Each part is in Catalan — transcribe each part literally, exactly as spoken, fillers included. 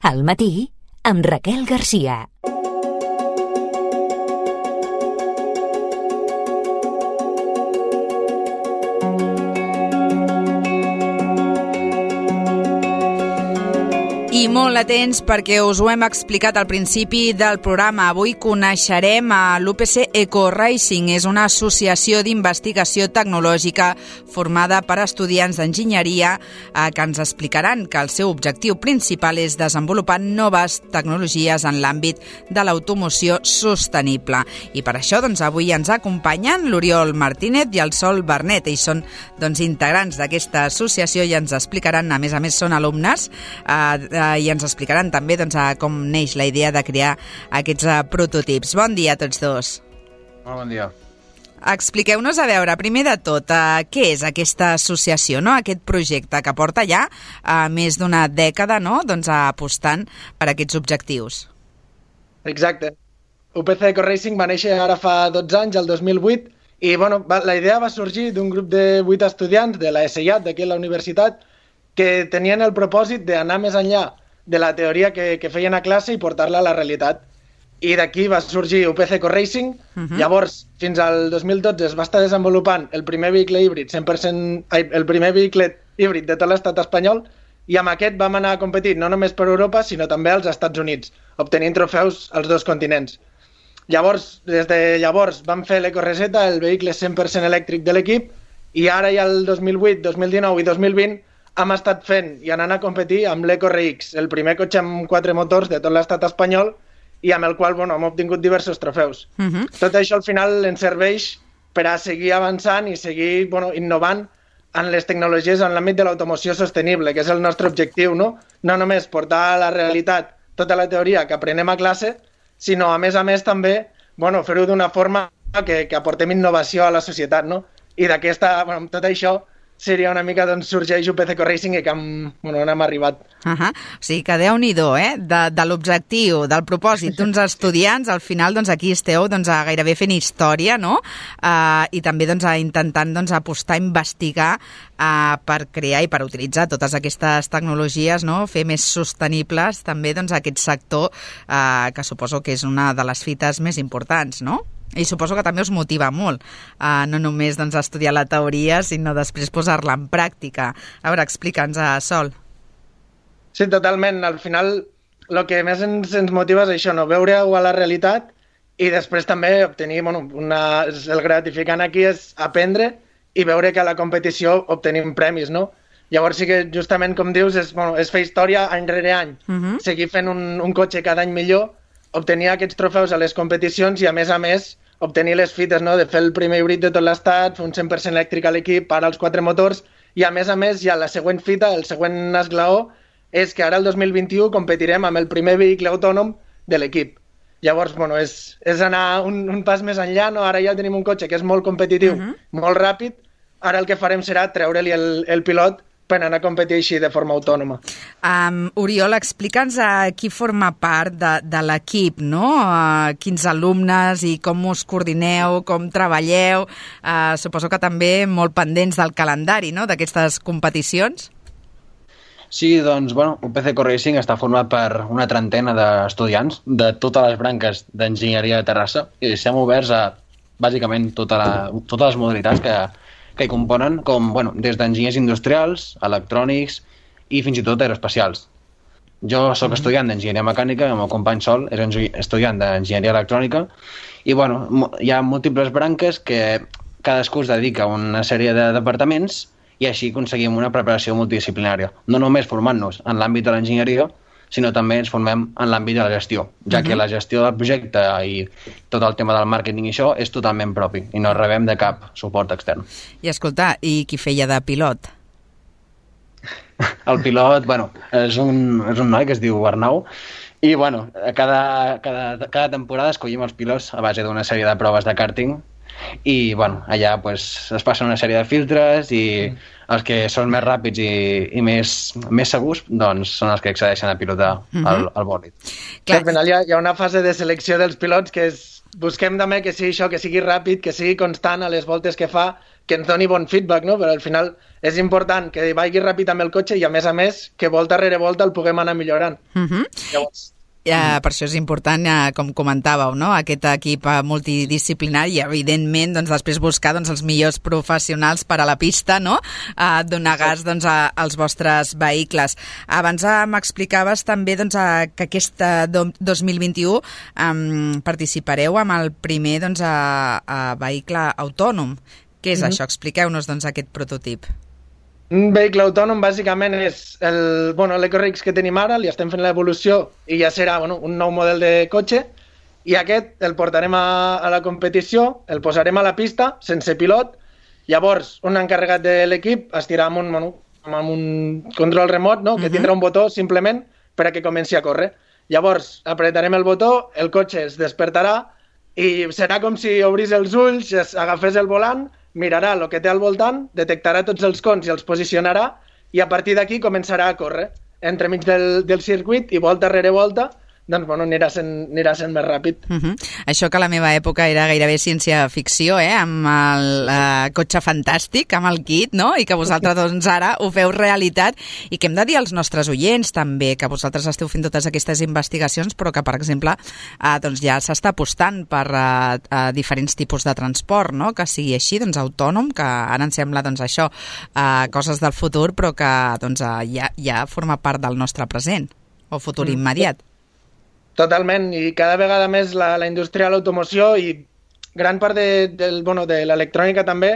Al matí, amb Raquel Garcia. I molt atents perquè us ho hem explicat al principi del programa. Avui coneixerem a l'U P C Eco-Racing. És una associació d'investigació tecnològica formada per estudiants d'enginyeria eh, que ens explicaran que el seu objectiu principal és desenvolupar noves tecnologies en l'àmbit de l'automoció sostenible. I per això doncs, avui ens acompanyen l'Oriol Martínez i el Sol Bernet. Ells són doncs, integrants d'aquesta associació i ens explicaran, a més a més són alumnes, eh, i ens explicaran també doncs, com neix la idea de crear aquests uh, prototips. Bon dia a tots dos. Molt bon dia. Expliqueu-nos, a veure, primer de tot, uh, què és aquesta associació, no? Aquest projecte que porta ja uh, més d'una dècada, no? Doncs, uh, apostant per aquests objectius. Exacte. U P C Eco-Racing va néixer ara fa dotze anys, el dos mil vuit, i bueno, va, la idea va sorgir d'un grup de vuit estudiants de la E S I A T, d'aquí a la universitat, que tenien el propòsit d'anar més enllà de la teoria que, que feien a classe i portar-la a la realitat. I d'aquí va sorgir U P C Eco-Racing. Uh-huh. Llavors, fins al dos mil dotze es va estar desenvolupant el primer vehicle híbrid, cent per cent, ai, el primer vehicle híbrid de tot l'estat espanyol, i amb aquest vam anar a competir no només per Europa, sinó també als Estats Units, obtenint trofeus als dos continents. Llavors, des de llavors, vam fer l'Ecoreseta, el vehicle cent per cent elèctric de l'equip, i ara ja el dos mil vuit, dos mil dinou i dos mil vint hem estat fent i anant a competir amb l'Eco-R X, el primer cotxe amb quatre motors de tot l'estat espanyol i amb el qual bueno, hem obtingut diversos trofeus. Uh-huh. Tot això al final ens serveix per a seguir avançant i seguir bueno, innovant en les tecnologies en l'àmbit de l'automoció sostenible, que és el nostre objectiu, no? No només portar a la realitat tota la teoria que aprenem a classe, sinó a més a més també bueno, fer-ho d'una forma que, que aportem innovació a la societat, no? I d'aquesta, bueno, tot això seria una mica d'on sorgeix U P C Eco-Racing i que hem, bueno, on hem arribat. Uh-huh. O sigui que Déu-n'hi-do, eh? De, de l'objectiu, del propòsit d'uns estudiants, al final doncs, aquí esteu doncs, a gairebé fent història, no? Uh, I també doncs, a intentant doncs, apostar, investigar uh, per crear i per utilitzar totes aquestes tecnologies, no? Fer més sostenibles també doncs, aquest sector uh, que suposo que és una de les fites més importants, no? I suposo que també us motiva molt, uh, no només doncs, estudiar la teoria, sinó després posar-la en pràctica. A veure, explica'ns, uh, Sol. Sí, totalment. Al final, el que més ens, ens motiva és això, no? Veure-ho a la realitat i després també obtenir, bueno, una, el gratificant aquí és aprendre i veure que a la competició obtenim premis, no? Llavors sí que justament, com dius, és, bueno, és fer història any rere any, uh-huh. seguir fent un, un cotxe cada any millor, obtenir aquests trofeus a les competicions i, a més a més, obtenir les fites, no? De fer el primer híbrid de tot l'estat, fer un cent per cent elèctric a l'equip, ara els quatre motors, i, a més a més, ja la següent fita, el següent esglaó, és que ara el dos mil vint-i-u competirem amb el primer vehicle autònom de l'equip. Llavors, bueno, és, és anar un, un pas més enllà, no? Ara ja tenim un cotxe que és molt competitiu, uh-huh. molt ràpid, ara el que farem serà treure-li el, el pilot per anar a competir així de forma autònoma. Um, Oriol, explica'ns a qui forma part de, de l'equip, no? Uh, quins alumnes i com us coordineu, com treballeu. Uh, suposo que també molt pendents del calendari, no?, d'aquestes competicions. Sí, doncs, bueno, U P C Eco-Racing està format per una trentena d'estudiants de totes les branques d'enginyeria de Terrassa i estem oberts a, bàsicament, tota la, totes les modalitats que que hi componen, com, bueno, des d'enginyers industrials, electrònics i fins i tot aeroespacials. Jo sóc estudiant d'enginyeria mecànica, el meu company Sol és estudiant d'enginyeria electrònica i, bueno, hi ha múltiples branques que cadascú es dedica a una sèrie de departaments i així aconseguim una preparació multidisciplinària. No només formant-nos en l'àmbit de l'enginyeria, sinó també ens formem en l'àmbit de la gestió, ja que la gestió del projecte i tot el tema del màrqueting i això és totalment propi i no rebem de cap suport extern. I escolta, i qui feia de pilot? El pilot, bueno, és un, és un noi que es diu Arnau i, bueno, cada, cada, cada temporada escollim els pilots a base d'una sèrie de proves de karting i, bueno, allà pues, es passen una sèrie de filtres i els que són més ràpids i, i més, més segurs doncs són els que accedeixen a pilotar uh-huh. el, el bòlid. Clar. Al final hi ha, hi ha una fase de selecció dels pilots que és busquem també que sigui això, que sigui ràpid, que sigui constant a les voltes que fa, que ens doni bon feedback, no? Però al final és important que vagi ràpid amb el cotxe i, a més a més, que volta rere volta el puguem anar millorant. Uh-huh. Llavors... Ja, per això és important, ja, com comentàveu, no? Aquest equip multidisciplinari i, evidentment, doncs, després buscar doncs, els millors professionals per a la pista, no? A donar gas doncs, a, als vostres vehicles. Abans m'explicaves també doncs, a, que aquest dos mil vint-i-u um, participareu amb el primer doncs, a, a vehicle autònom. Què és mm-hmm. això? Expliqueu-nos doncs, aquest prototip. Un vehicle autònom bàsicament és el, bueno, l'EcoRix que tenim ara, li estem fent l'evolució i ja serà bueno, un nou model de cotxe, i aquest el portarem a, a la competició, el posarem a la pista sense pilot, llavors un encarregat de l'equip estirà amb un, bueno, amb un control remot, no? que uh-huh. tindrà un botó simplement per a que comenci a córrer. Llavors apretarem el botó, el cotxe es despertarà i serà com si obrís els ulls, agafés el volant, mirarà el que té al voltant, detectarà tots els cons i els posicionarà i a partir d'aquí començarà a córrer entremig del, del circuit i volta rere volta doncs bueno, anirà sent, anirà sent més ràpid. Uh-huh. Això que a la meva època era gairebé ciència-ficció, eh? Amb el uh, cotxe fantàstic, amb el kit, no? I que vosaltres doncs, ara ho feu realitat i que hem de dir als nostres oients també que vosaltres esteu fent totes aquestes investigacions però que, per exemple, uh, doncs ja s'està apostant per uh, uh, diferents tipus de transport, no? Que sigui així, doncs autònom, que ara em sembla doncs, això, uh, coses del futur però que doncs, uh, ja, ja forma part del nostre present o futur mm. immediat. Totalment, i cada vegada més la, la indústria de l'automoció i gran part de, del, bueno, de l'electrònica també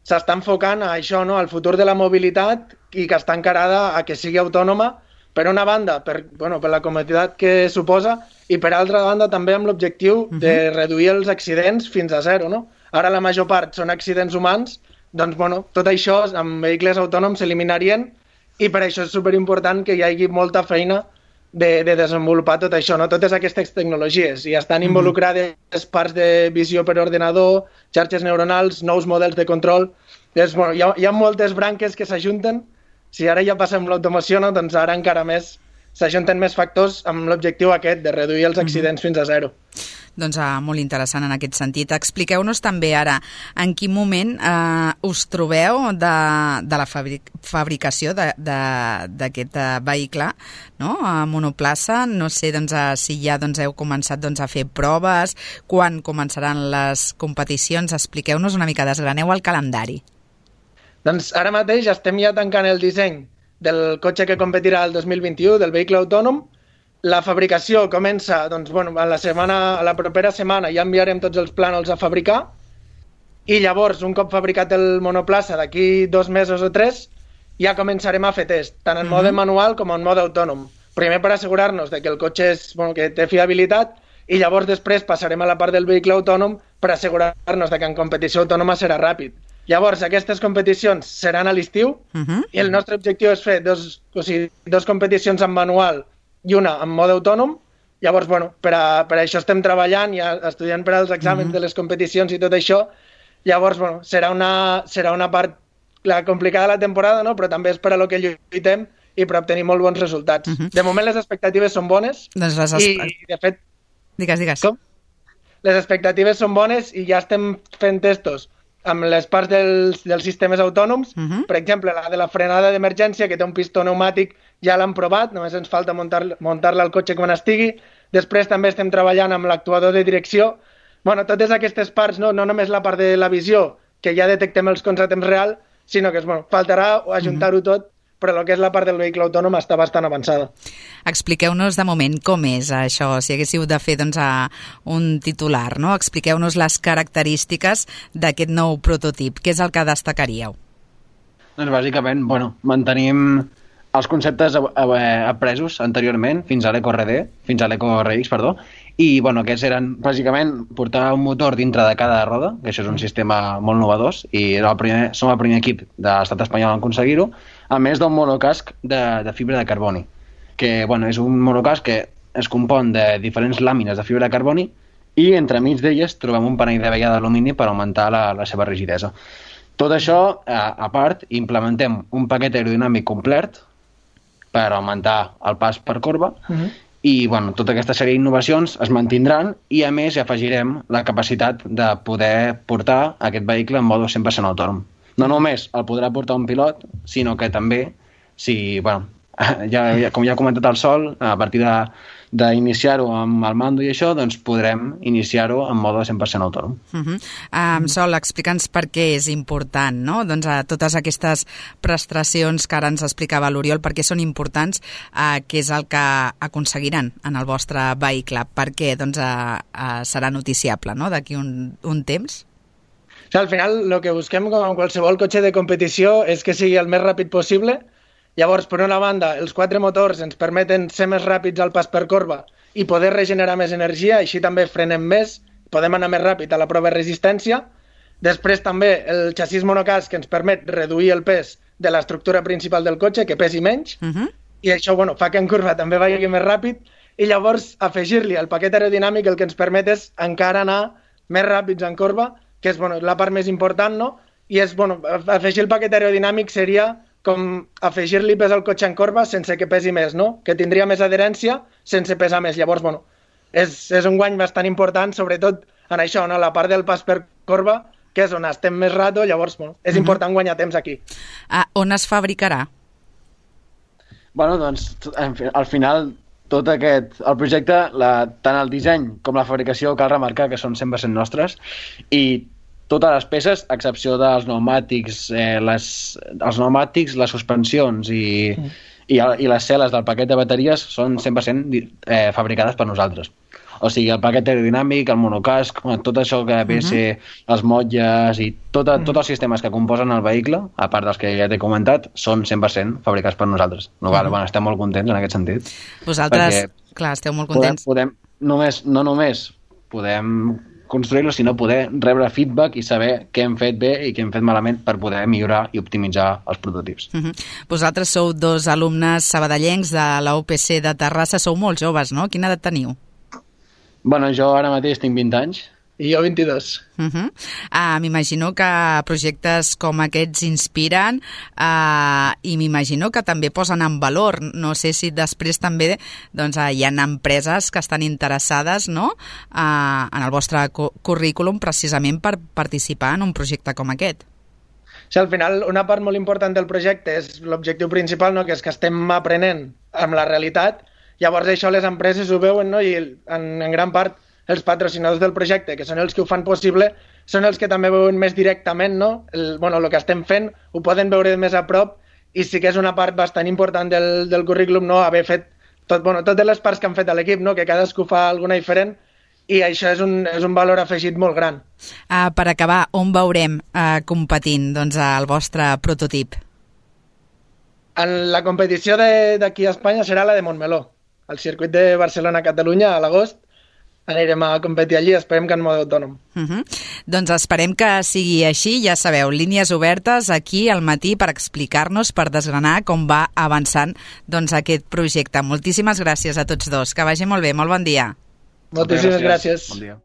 s'està enfocant a això, no? Al futur de la mobilitat i que està encarada a que sigui autònoma, per una banda, per, bueno, per la comoditat que suposa, i per altra banda també amb l'objectiu uh-huh. de reduir els accidents fins a zero, no? Ara la major part són accidents humans, doncs bueno, tot això amb vehicles autònoms s'eliminarien i per això és superimportant que hi hagi molta feina De, de desenvolupar tot això, no? Totes aquestes tecnologies, i estan involucrades parts de visió per ordenador, xarxes neuronals, nous models de control. És, bueno, hi, ha, hi ha moltes branques que s'ajunten. Si ara ja passem l'automoció, no? Doncs ara encara més s'ajunten més factors amb l'objectiu aquest de reduir els accidents mm-hmm. fins a zero. Doncs uh, molt interessant en aquest sentit. Expliqueu-nos també ara en quin moment eh, us trobeu de, de la fabric, fabricació d'aquest uh, vehicle, no? A monoplaça. No sé doncs, uh, si ja doncs, heu començat doncs, a fer proves, quan començaran les competicions. Expliqueu-nos una mica, desgraneu el calendari. Doncs ara mateix estem ja tancant el disseny del cotxe que competirà el dos mil vint-i-u, del vehicle autònom. La fabricació comença, doncs, bueno, a la setmana, a la propera setmana ja enviarem tots els plànols a fabricar i llavors, un cop fabricat el monoplaça, d'aquí dos mesos o tres, ja començarem a fer test, tant en mm-hmm. mode manual com en mode autònom. Primer per assegurar-nos de que el cotxe és, bueno, que té fiabilitat i llavors després passarem a la part del vehicle autònom per assegurar-nos de que en competició autònoma serà ràpid. Llavors, aquestes competicions seran a l'estiu mm-hmm. i el nostre objectiu és fer dos, o sigui, dos competicions en manual i una en mode autònom. Llavors, bueno, per, a, per a això estem treballant, ja estudiant per als exàmens mm-hmm. de les competicions i tot això. Llavors, bueno, serà una, serà una part la complicada de la temporada, no? Però també és per a lo que lluitem i per obtenir molt bons resultats. Mm-hmm. De moment les expectatives són bones doncs les i, i, de fet... Digues, digues. Com? Les expectatives són bones i ja estem fent testos amb les parts dels, dels sistemes autònoms. Uh-huh. Per exemple, la de la frenada d'emergència, que té un pistó pneumàtic, ja l'han provat, només ens falta muntar, muntar-la al cotxe quan estigui. Després també estem treballant amb l'actuador de direcció. Bueno, totes aquestes parts, no, no només la part de la visió, que ja detectem els cons a temps real, sinó que bueno, faltarà ajuntar-ho tot, però el que és la part del vehicle autònom està bastant avançada. Expliqueu-nos de moment com és això, si haguéssiu de fer doncs, a un titular, no? Expliqueu-nos les característiques d'aquest nou prototip. Què és el que destacaríeu? Doncs bàsicament, bueno, mantenim els conceptes apresos anteriorment fins a l'EcoRD, fins a l'EcoRX, perdó, i bueno, aquests eren bàsicament portar un motor dintre de cada roda, que això és un sistema molt innovador, i el primer, som el primer equip de l'estat espanyol en aconseguir-ho, a més d'un monocasc de, de fibra de carboni, que bueno, és un monocasc que es compon de diferents làmines de fibra de carboni i entremig d'elles trobem un panell de vella d'alumini per augmentar la, la seva rigidesa. Tot això, a, a part, implementem un paquet aerodinàmic complet per augmentar el pas per corba uh-huh. i bueno, tota aquesta sèrie d'innovacions es mantindran i a més hi afegirem la capacitat de poder portar aquest vehicle en mode cent per cent autònom. No només el podrà portar un pilot, sinó que també, si, bueno, ja, ja, com ja ha comentat el Sol, a partir de d'iniciar-ho amb el mando i això, doncs podrem iniciar-ho en mode cent per cent autònom. Uh-huh. um, Sol, explica'ns per què és important, no? Doncs a totes aquestes prestacions que ara ens explicava l'Oriol, per què són importants, uh, què és el que aconseguiran en el vostre vehicle, per què doncs, uh, uh, serà noticiable, no?, d'aquí un, un temps? O sigui, al final, el que busquem com en qualsevol cotxe de competició és que sigui el més ràpid possible. Llavors, per una banda, els quatre motors ens permeten ser més ràpids al pas per corba i poder regenerar més energia, així també frenem més, podem anar més ràpid a la prova de resistència. Després també el xassís monocasc que ens permet reduir el pes de l'estructura principal del cotxe, que pesi menys, uh-huh. i això bueno, fa que en curva també vagi més ràpid, i llavors afegir-li el paquet aerodinàmic el que ens permet és encara anar més ràpids en corba, que és bueno, la part més important, no? I és, bueno, afegir el paquet aerodinàmic seria com afegir-li pes al cotxe en corba sense que pesi més, no? Que tindria més adherència sense pesar més. Llavors, bueno, és, és un guany bastant important, sobretot en això, no? La part del pas per corba, que és on estem més rato, llavors, bueno, és uh-huh. important guanyar temps aquí. Ah, on es fabricarà? Bueno, doncs, al final, tot aquest, el projecte, la, tant el disseny com la fabricació, cal remarcar que són cent per cent nostres, i totes les peces, a excepció dels pneumàtics, eh, les, els pneumàtics, les suspensions i, mm. i, i les cel·les del paquet de bateries són cent per cent eh, fabricades per nosaltres. O sigui, el paquet aerodinàmic, el monocasc, tot això que ve a ser els motlles i tot, mm. tots els sistemes que composen el vehicle, a part dels que ja t'he comentat, són cent per cent fabricats per nosaltres. No, mm. bueno, estem molt contents en aquest sentit. Vosaltres, clar, esteu molt contents. Podem, podem, només, no només podem construir-lo, sinó poder rebre feedback i saber què hem fet bé i què hem fet malament per poder millorar i optimitzar els prototips. Uh-huh. Vosaltres sou dos alumnes sabadellencs de la U P C de Terrassa, sou molt joves, no? Quina edat teniu? Bueno, jo ara mateix tinc vint anys. I jo vint-i-dos. Uh-huh. Uh, m'imagino que projectes com aquests inspiren uh, i m'imagino que també posen en valor. No sé si després també doncs, uh, hi ha empreses que estan interessades, no?, uh, en el vostre cu- currículum precisament per participar en un projecte com aquest. Sí, al final, una part molt important del projecte és l'objectiu principal, no?, que és que estem aprenent amb la realitat. Llavors això les empreses ho veuen, no?, i en, en gran part els patrocinadors del projecte, que són els que ho fan possible, són els que també veuen més directament, no? El, bueno, el que estem fent ho poden veure més a prop i sí que és una part bastant important del, del currículum, no? Haver fet tot, bueno, totes les parts que han fet a l'equip, no? Que cadascú fa alguna diferent i això és un, és un valor afegit molt gran. Uh, per acabar, on veurem uh, competint doncs, el vostre prototip? En la competició d'aquí a Espanya serà la de Montmeló, al circuit de Barcelona-Catalunya a l'agost. Anirem a competir allí, esperem que en mode autònom. Uh-huh. Doncs esperem que sigui així, ja sabeu, línies obertes aquí al matí per explicar-nos, per desgranar com va avançant doncs, aquest projecte. Moltíssimes gràcies a tots dos, que vagi molt bé, molt bon dia. Moltíssimes gràcies. Bon dia.